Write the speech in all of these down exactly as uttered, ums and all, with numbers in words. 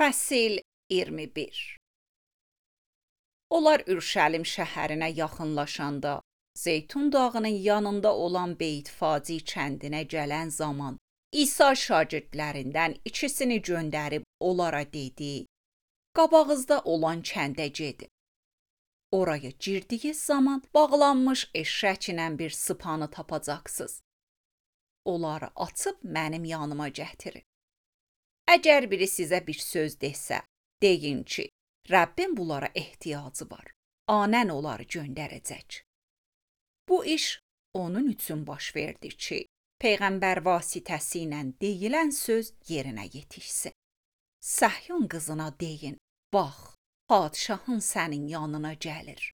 Fəsil iyirmi bir. Onlar Ürşəlim şəhərinə yaxınlaşanda, Zeytun dağının yanında olan Beytfaci kəndinə gələn zaman İsa şagirdlərindən ikisini göndərib onlara dedi: "Qabağınızda olan kəndə gedin. Oraya girdiyiz zaman bağlanmış eşşəklə bir sıpanı tapacaqsınız. Onları açıb mənim yanıma gətirin. Əgər biri sizə bir söz desə, deyin ki, Rəbbin bunlara ehtiyacı var. Anən onları göndərəcək." Bu iş onun üçün baş verdi ki, Peyğəmbər vasitəsilə deyilən söz yerinə yetişsin. Səhyun qızına deyin: "Bax, padşahın sənin yanına gəlir.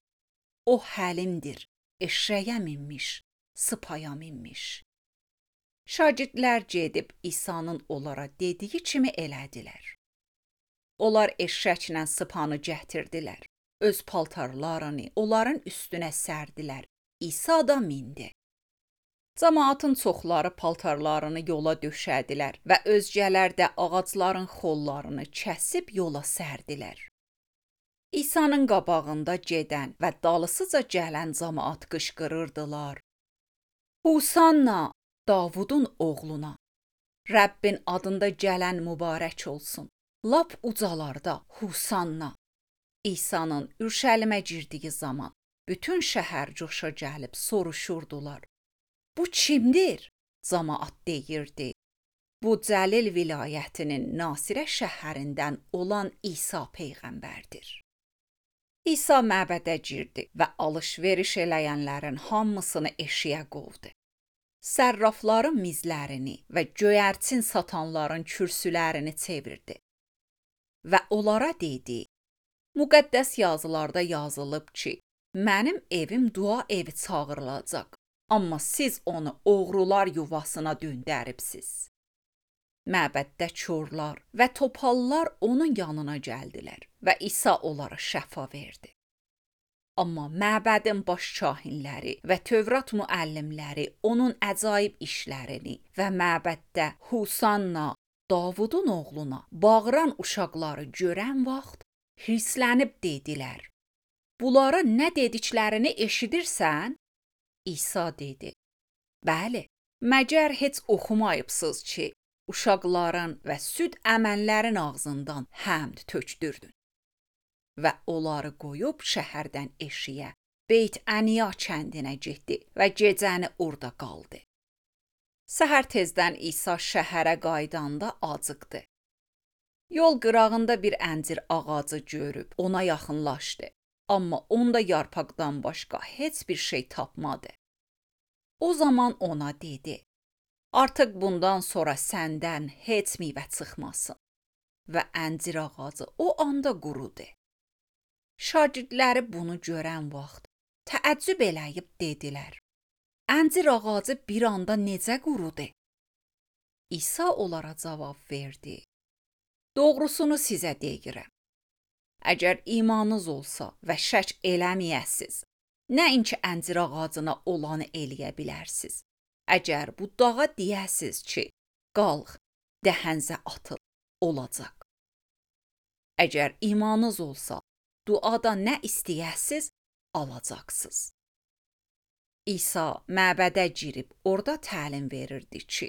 O həlimdir, eşşəyə minmiş, sıpaya minmiş." Şagirdlər gedib İsa'nın onlara dediyi kimi elədilər. Onlar eşşəklə sıpanı gətirdilər. Öz paltarlarını onların üstünə sərdilər. İsa da mindi. Cəmaatın çoxları paltarlarını yola döşədilər və özgələr də ağacların xollarını kəsib yola sərdilər. İsa'nın qabağında gedən və dalısıca gələn cəmaat qışqırırdılar: "Husanna, Davudun oğluna! Rəbbin adında gələn mübarək olsun. Lap ucalarda Husanna." İsa'nın Ürşəlimə girdiyi zaman bütün şəhər coşa gəlib soruşurdular: "Bu kimdir?" Cəmaat deyirdi: "Bu Cəlil vilayətinin Nasirə şəhərindən olan İsa peyğəmbərdir." İsa məbədə girdi və alış-veriş eləyənlərin hamısını eşiyə qovdu. Sərrafların mizlərini və göyərçin satanların kürsülərini çevirdi və onlara dedi: "Müqəddəs yazılarda yazılıb ki, mənim evim dua evi çağırılacaq, amma siz onu oğrular yuvasına döndəribsiz." Məbəddə çorlar və topallar onun yanına gəldilər və İsa onlara şəfa verdi. Amma məbədin baş kahinləri və Tövrat müəllimləri onun əcaib işlərini və məbəddə Husanna, Davudun oğluna bağıran uşaqları görən vaxt hirslənib dedilər: "Bunların nə dediklərini eşidirsən?" İsa dedi: "Bəli, məgər heç oxumayıbsınız ki, uşaqların və süd əmənlərin ağzından həmd tökdürdün." Və onları qoyub şəhərdən eşiyə, Beyt-Əniya kəndinə getdi və gecəni orada qaldı. Səhər tezdən İsa şəhərə qaydanda acıqdı. Yol qırağında bir əncir ağacı görüb ona yaxınlaşdı, amma onda yarpaqdan başqa heç bir şey tapmadı. O zaman ona dedi: "Artıq bundan sonra səndən heç meyvə çıxmasın." Və əncir ağacı o anda qurudu. Şagirdləri bunu görən vaxt təəccüb eləyib dedilər: "Əncir ağacı bir anda necə qurudu?" İsa onlara cavab verdi: "Doğrusunu sizə deyirəm. Əgər imanınız olsa və şək eləməyəsiz, nəinki əncir ağacına olanı eləyə bilərsiz. Əgər bu dağa deyəsiz ki, qalx, dəhənzə atıl, olacaq. Əgər imanınız olsa, duada nə istəyəsiz, alacaqsınız." İsa məbədə girib orada təlim verirdi ki,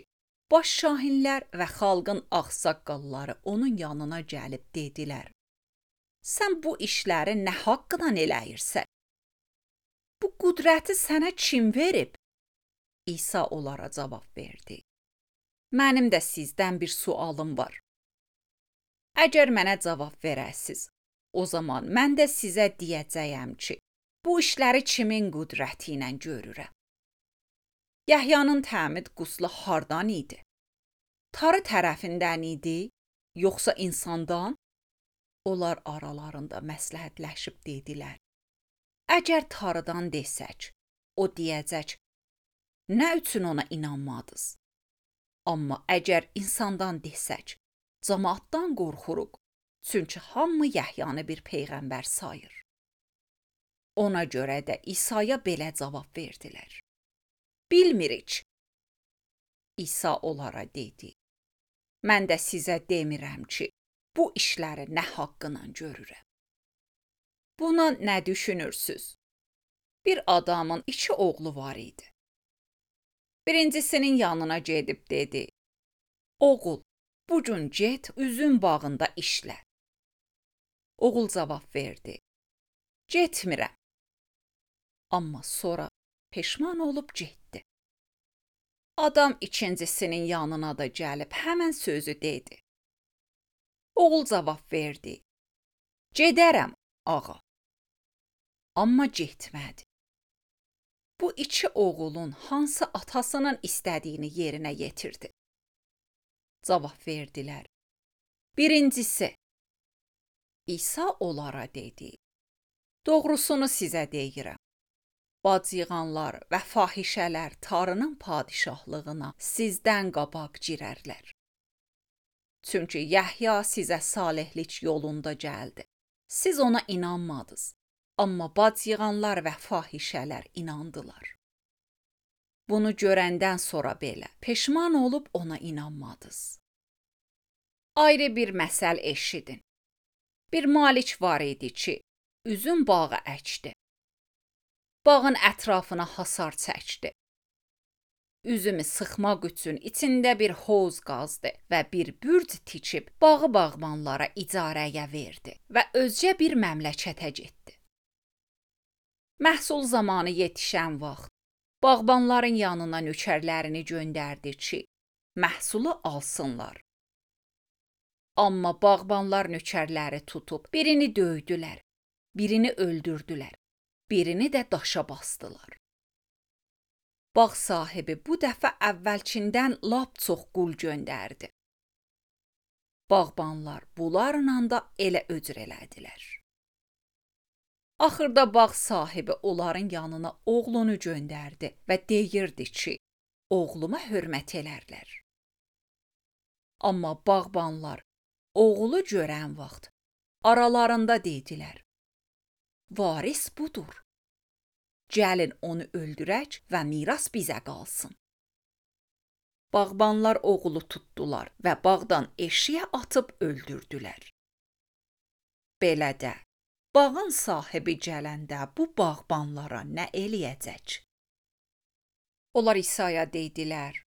baş şahinlər və xalqın ağsaqqalları onun yanına gəlib dedilər: "Sən bu işləri nə haqqdan eləyirsən? Bu qüdrəti sənə kim verib?" İsa onlara cavab verdi: "Mənim də sizdən bir sualım var. Əgər mənə cavab verəsiz, o zaman mən də sizə deyəcəyəm ki, bu işləri kimin qüdrəti ilə görürəm. Yəhyanın təmid quslu hardan idi? Tarı tərəfindən idi, yoxsa insandan?" Onlar aralarında məsləhətləşib dedilər: "Əgər tarıdan desək, o deyəcək: nə üçün ona inanmadınız? Amma əgər insandan desək, cəmaatdan qorxuruq, çünki hamı Yəhyanı bir peyğəmbər sayır." Ona görə də İsa'ya belə cavab verdilər: "Bilmirik." İsa onlara dedi: "Mən də sizə demirəm ki, bu işləri nə haqqıyla görürəm? Buna nə düşünürsüz? Bir adamın iki oğlu var idi. Birincisinin yanına gedib dedi: Oğul, bu gün get üzüm bağında işlə. Oğul cavab verdi: Getmirəm. Amma sonra peşman olub getdi. Adam ikincisinin yanına da gəlib həmən sözü dedi. Oğul cavab verdi: Gedərəm, ağa. Amma getmədi. Bu iki oğulun hansı atasının istədiyini yerinə yetirdi? Cavab verdilər: Birincisi. İsa onlara dedi: Doğrusunu sizə deyirəm. Bacıyığanlar və fahişələr Tanrının padişahlığına sizdən qabaq girərlər. Çünki Yəhya sizə salihlik yolunda gəldi. Siz ona inanmadınız, amma bacıyığanlar və fahişələr inandılar. Bunu görəndən sonra belə peşman olub ona inanmadınız. Ayrı bir məsəl eşidin. Bir malik var idi ki, üzüm bağı əkdi. Bağın ətrafına hasar çəkdi. Üzümü sıxmaq üçün içində bir hovuz qazdı və bir bürc tikib bağı bağbanlara icarəyə verdi və özcə bir məmləkətə getdi. Məhsul zamanı yetişən vaxt bağbanların yanına nökərlərini göndərdi ki, məhsulu alsınlar. Amma bağbanlar nökərləri tutub birini döydülər, birini öldürdülər, birini də daşa basdılar. Bağ sahibi bu dəfə əvvəlkindən lap çox qul göndərdi. Bağbanlar bunlarla da elə öcür elədilər. Axırda bağ sahibi onların yanına oğlunu göndərdi və deyirdi ki, oğluma hörmət elərlər. Amma bağbanlar oğlu görən vaxt aralarında dedilər: Varis budur. Gəlin onu öldürək və miras bizə qalsın. Bağbanlar oğlu tutdular və bağdan eşiyə atıb öldürdülər. Belə də, bağın sahibi gələndə bu bağbanlara nə eləyəcək? Onlar İsa'ya dedilər: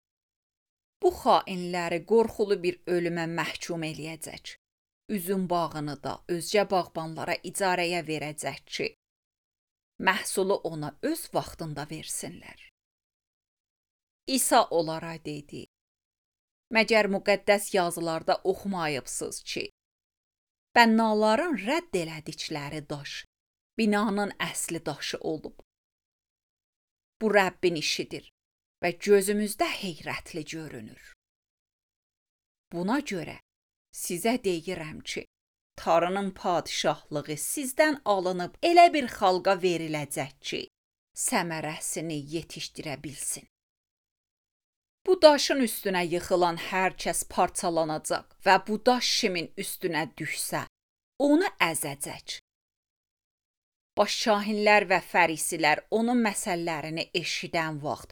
Bu xainləri qorxulu bir ölümə məhkum eləyəcək. Üzüm bağını da özcə bağbanlara icarəyə verəcək ki, məhsulu ona öz vaxtında versinlər. İsa onlara dedi: Məgər müqəddəs yazılarda oxumayıbsınız ki, bənnaların rədd elədikləri daş binanın əsli daşı olub. Bu Rəbbin işidir və gözümüzdə heyrətli görünür. Buna görə sizə deyirəm ki, Tanrının padişahlığı sizdən alınıb elə bir xalqa veriləcək ki, səmərəsini yetişdirə bilsin. Bu daşın üstünə yıxılan hər kəs parçalanacaq və bu daş kimin üstünə düşsə, onu əzəcək. Başşahinlər və fərisilər onun məsəllərini eşidən vaxt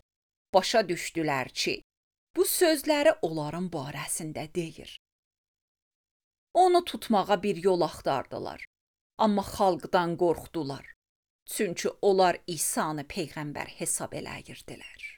başa düşdülər ki, bu sözləri onların barəsində deyir. Onu tutmağa bir yol axtardılar, amma xalqdan qorxdular. Çünki onlar İsa'nı peyğəmbər hesab eləyirdilər.